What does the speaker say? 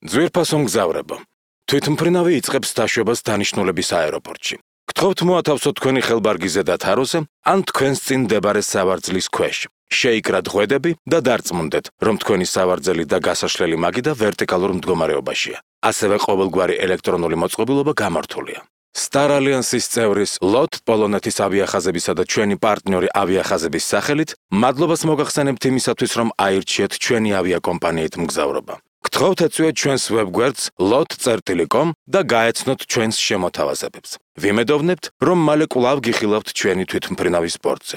ძვირფასო მგზავრებო, თვითმფრინავი იწყებს დაშვებას დანიშნულების აეროპორტში. გთხოვთ მოათავსოთ თქვენი ხელბარგი ზედა თაროზე, ან თქვენს წინ მდებარე სავარძლის ქვეშ. შეიკრათ ღვედები და დარწმუნდეთ, რომ თქვენი სავარძელი და გასაშლელი მაგიდა ვერტიკალურ მდგომარეობაშია. ასევე ყოველგვარი ელექტრონული მოწყობილობა გამართულია. Star Alliance-ის წევრის LOT პოლონეთის ავიახაზებისა და ჩვენი პარტნიორი ავიახაზების სახელით მადლობას მოგახსენებთ იმისათვის, რომ აირჩიეთ ჩვენი ავიაკომპანიით მგზავრობა. გთხოვთ ეწვიოთ ჩვენს ვებგვერდს lot.com და გაეცნოთ ჩვენს შემოთავაზებებს. ვიმედოვნებთ, რომ მალე კვლავ გიხილავთ ჩვენი თვითმფრინავის სპორტზე.